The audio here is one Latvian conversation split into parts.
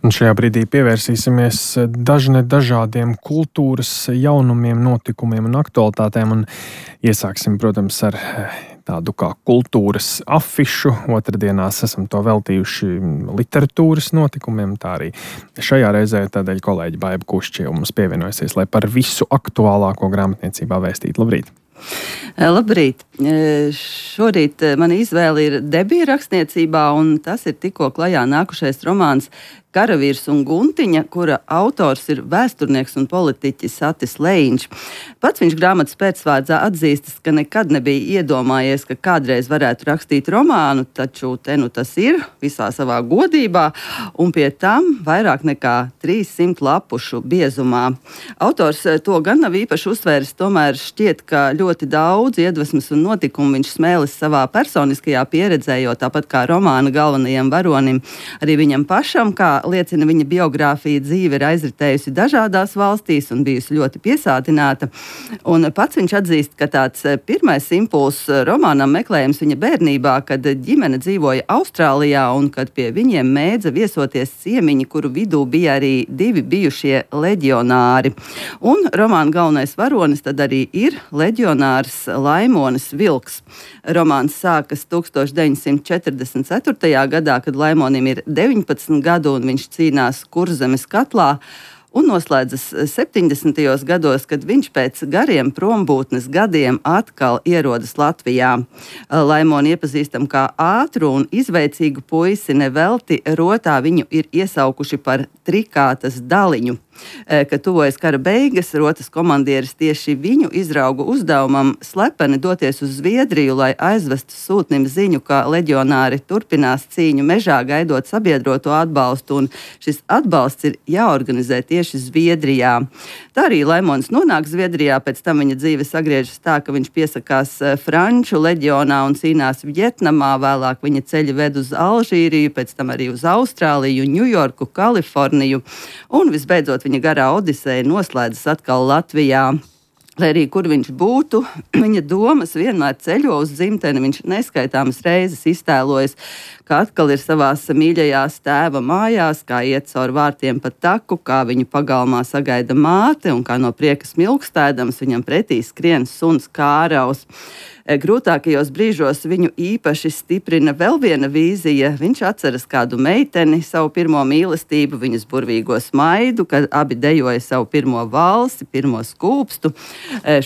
Un šajā brīdī pievērsīsimies dažādiem kultūras jaunumiem, notikumiem un aktualitātēm. Un iesāksim, protams, ar tādu kā kultūras afišu. Otrdienās esam to veltījuši literatūras notikumiem. Tā arī šajā reizē tādēļ kolēģi Baiba Kušķie mums pievienojusies, lai par visu aktuālāko grāmatniecībā vēstītu. Labrīt! Labrīt! Šorīt mana izvēle ir debija rakstniecībā, un tas ir tikko klajā nākušais romāns Karavīrs un Guntiņa, kura autors ir vēsturnieks un politiķis Atis Lejiņš. Pats viņš grāmatas pēcvārdā atzīstas, ka nekad nebija iedomājies, ka kādreiz varētu rakstīt romānu, taču te nu tas ir visā savā godībā, un pie tam vairāk nekā 300 lapušu biezumā. Autors to gan nav īpaši uzsvēris, tomēr šķiet, ka ļoti daudz iedvesmas un notikumu viņš smēlis savā personiskajā pieredzē, jo tāpat kā romāna galvenajam varonim, arī viņam pašam, kā liecina viņa biogrāfija, dzīve ir aizritējusi dažādās valstīs un bijusi ļoti piesātināta. Un pats viņš atzīst, ka tāds pirmais impulss romānam meklējums viņa bērnībā, kad ģimene dzīvoja Austrālijā un kad pie viņiem mēdza viesoties ciemiņi, kuru vidū bija arī 2 bijušie leģionāri. Un romāna galvenais varonis tad arī ir leģionārs Laimonis Vilks. Romāns sākas 1944. gadā, kad Laimonim ir 19 gadu un viņš cīnās Kurzemes katlā, un noslēdzas 70. gados, kad viņš pēc gariem prombūtnes gadiem atkal ierodas Latvijā. Laimoni iepazīstam kā ātru un izveicīgu puisi, nevelti rotā viņu ir iesaukuši par trikātas daliņu. Kad tuvojas kara beigas, rotas komandieris tieši viņu izrauga uzdevumam slepeni doties uz Zviedriju, lai aizvestu sūtnim ziņu, ka leģionāri turpinās cīņu mežā, gaidot sabiedroto atbalstu, un šis atbalsts ir jāorganizē tieši Zviedrijā. Tā arī Laimons nonāk Zviedrijā, pēc tam viņa dzīve sagriežas tā, ka viņš piesakās Franču leģionā un cīnās Vjetnamā, vēlāk viņa ceļi ved uz Alžīriju, pēc tam arī uz Austrāliju, Ņujorku, Kaliforniju, un visbeidzot viņa garā odiseja noslēdzas atkal Latvijā. Lai arī kur viņš būtu, viņa domas vienmēr ceļo uz dzimteni. Viņš neskaitāmas reizes iztēlojas, ka atkal ir savās mīļajās tēva mājās, kā iet caur vārtiem pa taku, kā viņu pagalmā sagaida māte un kā no prieka smilkstēdams viņam pretī skrien suns Kāraus. Grūtākajos brīžos viņu īpaši stiprina vēl viena vīzija. Viņš atceras kādu meiteni, savu pirmo mīlestību, viņas burvīgo smaidu, kad abi dejoja savu pirmo valsi, pirmo skūpstu.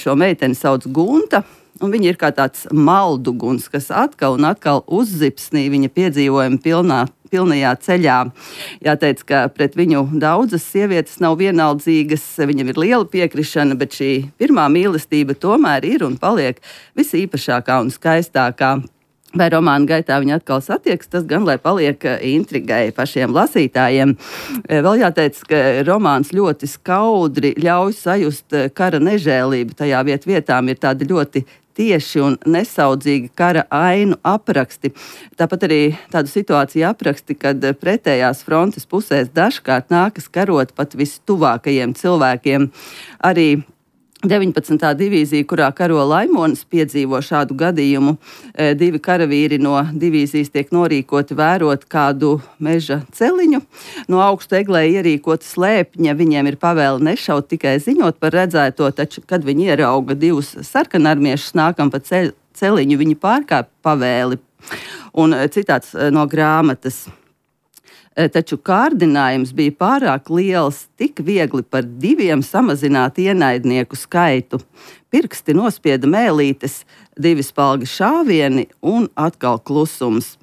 Šo meiteni sauc Gunta, un viņa ir kā tāds malduguns, kas atkal un atkal uzzipsnī viņa piedzīvojuma pilnajā ceļā. Jāteic, ka pret viņu daudzas sievietes nav vienaldzīgas, viņam ir liela piekrišana, bet šī pirmā mīlestība tomēr ir un paliek visīpašākā un skaistākā. Vai romāna gaitā viņi atkal satiekas, tas gan, lai paliek intrigai pašiem lasītājiem. Vēl jāteic, ka romāns ļoti skaudri ļauj sajust kara nežēlību. Tajā vietām ir tādi ļoti tieši un nesaudzīgi kara ainu apraksti. Tāpat arī tādu situāciju apraksti, kad pretējās frontes pusēs dažkārt nākas karot pat vistuvākajiem cilvēkiem. Arī 19. divīzija, kurā karo Laimonis, piedzīvo šādu gadījumu. 2 karavīri no divīzijas tiek norīkoti vērot kādu meža celiņu. No augstu eglē ierīkota slēpņa, viņiem ir pavēle nešaut, tikai ziņot par redzēto, taču, kad viņi ierauga 2 sarkanarmiešus nākam pa celiņu, viņi pārkāpj pavēli. Un citāts no grāmatas. Taču kārdinājums bija pārāk liels, tik viegli par 2 samazināt ienaidnieku skaitu. Pirksti nospieda mēlītes, 2 spalgi šāvieni un atkal klusums.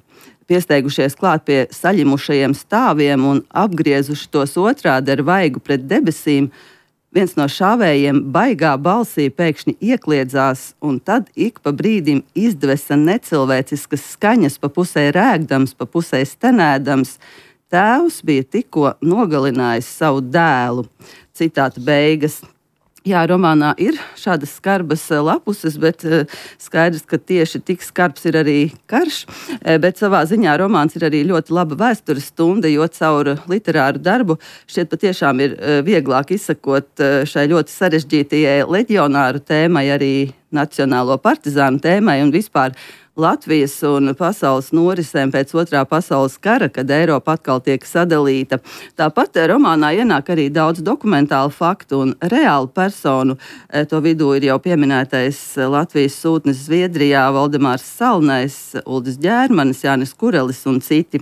Piesteigušies klāt pie saļimušajiem stāviem un apgriezuši tos otrādi ar vaigu pret debesīm, viens no šāvējiem baigā balsī pēkšņi iekliedzās, un tad ik pa brīdim izdvesa necilvēciskas skaņas, pa pusē rēgdams, pa pusē stenēdams. Tēvs bija tikko nogalinājis savu dēlu. Citāta beigas. Jā, romānā ir šādas skarbas lapuses, bet skaidrs, ka tieši tik skarbs ir arī karš. Bet savā ziņā romāns ir arī ļoti laba vēstures stunda, jo caur literāru darbu šķiet patiešām ir vieglāk izsakot šai ļoti sarežģītajai leģionāru tēmai, arī nacionālo partizānu tēmai un vispār Latvijas un pasaules norisēm pēc Otrā pasaules kara, kad Eiropa atkal tiek sadalīta. Tāpat romānā ienāk arī daudz dokumentālu faktu un reālu personu. To vidū ir jau pieminētais Latvijas sūtnis Zviedrijā Valdemārs Salnais, Uldis Ģērmanis, Jānis Kurelis un citi.